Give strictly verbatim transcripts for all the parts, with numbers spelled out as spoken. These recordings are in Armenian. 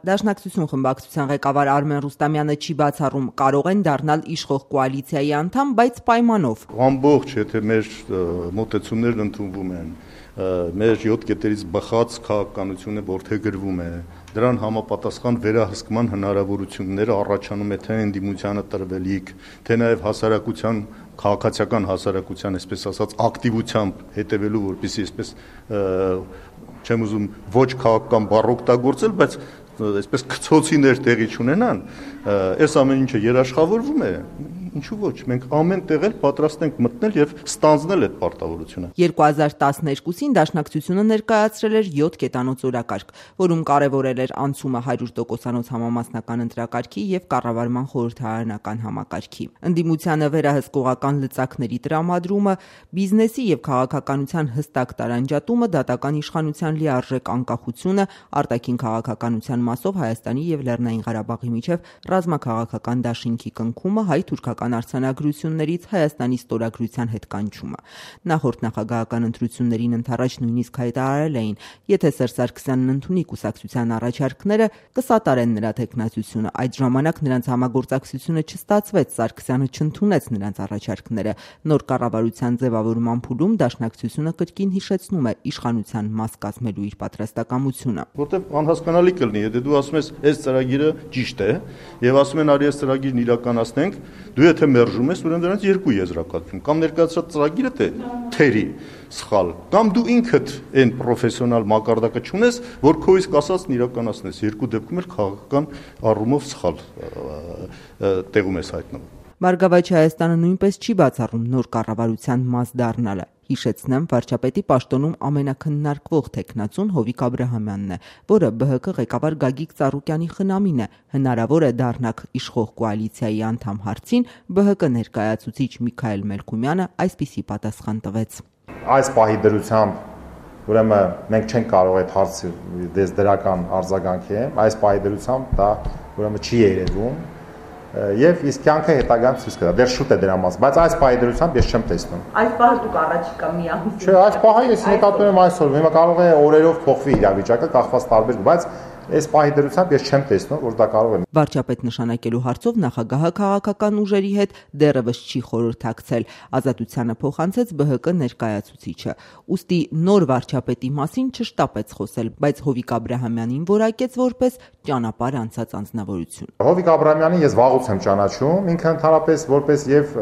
Դաշնակցություն խմբակցության ղեկավար Արմեն Ռուստամյանը չի բացառում, կարող են դառնալ իշխող կոալիցիայի անդամ, բայց պայմանով։ Ամբողջ, եթե մեր մոտեցումներն ընդունվում են, մեր յոթ կետերից բխած քաղաքականությունը որդեգրվում է, դրան համապատասխան վերահսկման հնարավորությունները առաջանում է թե ընդդիմությանը տրվելիք, թե նաև հասարակության, քաղաքացիական հասարակության, այսպես ասած, ակտիվությամբ հետևելու, որպեսզի այսպես չեմ ուզում ոչ քաղաքական բառ օգտագործել, բայց այսպես քցոցիներ տեղի չունենան, այս ամեն ինչը երաշխավորվում է, ինչու ոչ, մենք ամեն տեղ էլ պատրաստ ենք մտնել եւ ստանձնել այդ պարտավորությունը։ երկու հազար տասներկուսին Դաշնակցությունը ներկայացրել էր յոթ կետանոց օրակարգ, որում կարևորել էր անցումը հարյուր տոկոսանոց համամասնական ընտրակարգի եւ կառավարման խորհրդարանական համակարգի։ Ընդդիմությանը վերահսկողական լծակների տրամադրումը, բիզնեսի եւ քաղաքականության հստակ տարանջատումը, դատական իշխանության լիարժեք անկախությունը, արտաքին քաղաքականության մասով Հայաստանի եւ Լեռնային Ղարաբաղի միջև ռազմաքաղաքական դաշինքի կնքումը, հայ-թուրքական արձանագրություններից Հայաստանի ստորագրության հետ կանչումը։ Նախորդ նախագահական ընտրություններին ընդառաջ նույնիսկ հայտարարել էին, եթե Սերժ Սարգսյանն ընդունի կուսակցության առաջարկները, կսատարեն նրա թեկնածությունը։ Այդ ժամանակ նրանց համագործակցությունը չստացվեց, Սարգսյանը չընդունեց նրանց առաջարկները։ Նոր կառավարության ձևավորման փուլում Դաշնակցությունը կրկին հիշեցնում է իշխանության մաս կազմելու իր պատրաստակամությունը։ Որտեւ անհասկանալի կլինի, եթե դու ասում ես, այս ծրագիրը ճիշտ է, եւ ասում են արի այս ծրագիրն իրականացնենք, դու եթե մերժում ես, ուրեմն դրանից երկու եզրակացություն, կամ ներկայացրած ծրագիրը թե թերի սխալ, կամ դու ինքդ այն պրոֆեսիոնալ մակարդակը չունես, որ քո իսկ ասածն իրականացնես, երկու դեպքում էլ քաղաքական առումով սխալ տեղում ես հայտնվում։ Բարգավաճ Հայաստանը նույնպես չի բացառում նոր կառավարության մաս դառնալը։ Հիշեցնեմ, վարչապետի պաշտոնում ամենաքննարկվող թեկնածուն Հովիկ Աբրահամյանն է, որը Բ Հ Կ ղեկավար Գագիկ Ծառուկյանի խնամին է։ Հնարավոր է դառնաք իշխող կոալիցիայի անդամ հարցին, Բ Հ Կ ներկայացուցիչ Միքայել Մելքումյանը այսպիսի պատասխան տվեց։ Այս պահի դրությամբ ուրեմն մենք չենք կարող այդ հարցը դες դրական արձագանքի, այս պահի դրությամբ դա ուրեմն չի երևում։ Եվ իսկ կյանքը հետագայում ցույց կտա։ Դեռ շուտ է դրա մասին, բայց այս պահի դրությամբ ես չեմ տեսնում։ Այս պահը դուք առաջիկա մի ամիս։ Չէ, այս պահը ես նկատում եմ այսօր, հիմա կարող է օրերով փոխվի իրավիճակը, կախված տարբեր, բայց այս պահի դրությամբ ես չեմ տեսնում, որ դա կարող է։ Վարչապետ նշանակելու հարցով նախագահը քաղաքական ուժերի հետ դեռևս չի խորհրդակցել, Ազատությանը փոխանցեց Բ Հ Կ ներկայացուցիչը։ Ուստի նոր վարչապետի մասին չշտապեց խոսել, բայց Հովիկ Աբրահամյանին որակեց որպես ճանապարհ անցած անձնավորություն։ Հովիկ Աբրահամյանին ես վաղուց եմ ճանաչում, ինքը ընդհանրապես որպես եւ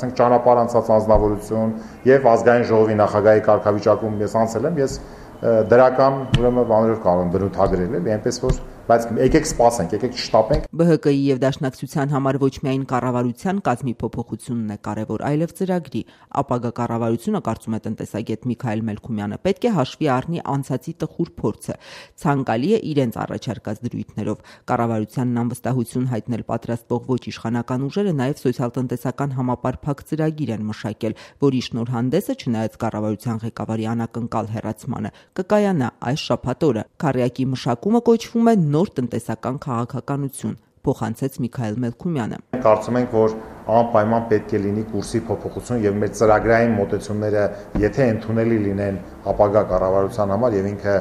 ասենք ճանապարհ անցած անձնավորություն եւ ազգային ժողովի նախագահի կարգավիճակում ես անցել եմ, ես դրական ուրեմն բաներով կարող եմ բնութագրել, էլի, այնպես որ բայց եկեք սպասենք, եկեք չշտապենք։ Բ Հ Կ-ի եւ Դաշնակցության համար ոչ միայն կառավարության կազմի փոփոխությունն է կարևոր, այլև ծրագրի։ Ապագա կառավարությունը, կարծում է տնտեսագետ Միքայել Մելքումյանը, պետք է հաշվի առնի անցածի տխուր փորձը, ցանկալի է իրենց առաջարկած դրույթներով։ Կառավարությանն անվստահություն հայտնել պատրաստվող ոչ իշխանական ուժերը նաեւ սոցիալ-տնտեսական համապարփակ ծրագիր են մշակել, որի շնորհանդեսը, չնայած կառավարության ղեկավարի անակնկալ հեռացմանը, կկայանա այս շաբաթ օրը։ Քառյակի մշակումը կոչվում է նոր տնտեսական քաղաքականություն, փոխանցեց Միքայել Մելքումյանը։ Կարծում ենք, որ անպայման պետք է լինի կուրսի փոփոխություն եւ մեր ծրագրային մոտեցումները, եթե ընդունելի լինեն ապագա կառավարության համար եւ ինքը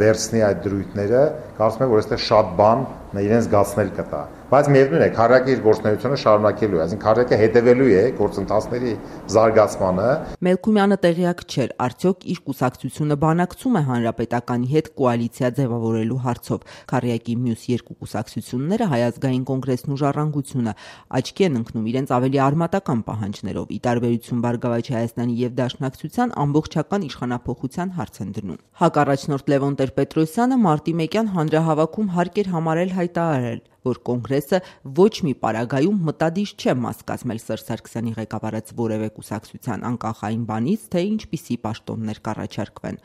վերցնի այդ դրույթները, կարծում եմ, որ այստեղ շատ բան իրեն զգացնել կտա։ Բայց միևնույն է, քառյակի իր գործունեությունը շարունակելու է, այսինքն քառյակը հետևելու է գործընթացների զարգացմանը։ Մելքումյանը տեղյակ չէր, արդյոք իր կուսակցությունը բանակցում է հանրապետականի հետ կոալիցիա ձևավորելու հարցով։ Քառյակի մյուս երկու կուսակցությունները, Հայ ազգային կոնգրեսն ու Ժառանգությունը, աչքի են ընկնում իրենց ավելի արմատական պահանջներով, ի տարբերություն Բարգավաճ Հայաստանի եւ Դաշնակցության ամբողջական իշխանափոխության հարց են դնում։ Հակառաջնորդ Լևոն Տեր-Պետրոսյանը մարտի մեկյան հանրահավաքում հարկ էր համարել հայտարարել, որ կոնգրեսը ոչ մի պարագայում մտադիր չէ մաս կազմել Սերժ Սարգսյանի ղեկավարած որևէ կուսակցության, անկախ այն բանից, թե ինչպիսի պաշտոններ կառաջարկվեն։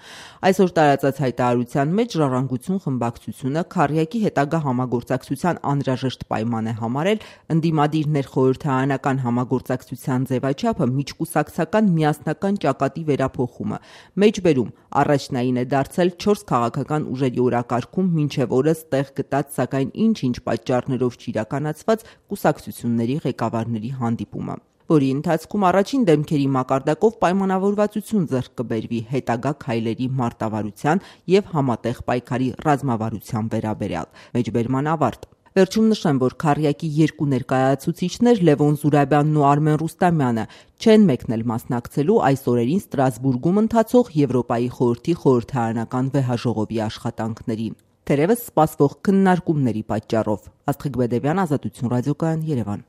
Այսօր տարածած հայտարարության մեջ Ժառանգություն խմբակցությունը քառյակի հետագա համագործակցության անհրաժեշտ պայման է համարել ընդդիմադիր ներխորհրդարանական համագործակցության ձևաչափը միջկուսակցական միասնական ճակատի վերափոխումը։ Մեջբերում առաջնային է դարձել չորս քաղաքական ուժերի օրակարգում մինչև օրս տեղ գտած, սակայն ինչ-ինչ պատճառներով չիրականացված կուսակցությունների ղեկավարների հանդիպումը։ որի ընթացքում առաջին դեմքերի մակարդակով պայմանավորվածություն ձեռք կբերվի հետագա քայլերի մարտավարության եւ համատեղ պայքարի ռազմավարության վերաբերյալ։ Մեջբերման ավարտ։ Վերջում նշեմ, որ քառյակի երկու ներկայացուցիչներ Լևոն Զուրաբյանն ու Արմեն Ռուստամյանը չեն մեկնել մասնակցելու այս օրերին Ստրասբուրգում ընթացող Եվրոպայի խորհրդի խորհրդարանական վեհաժողովի աշխատանքներին, թերևս սպասվող քննարկումների պատճառով։ Աստղիկ Բեդևյան, Ազատություն ռադիոկայան, Երևան։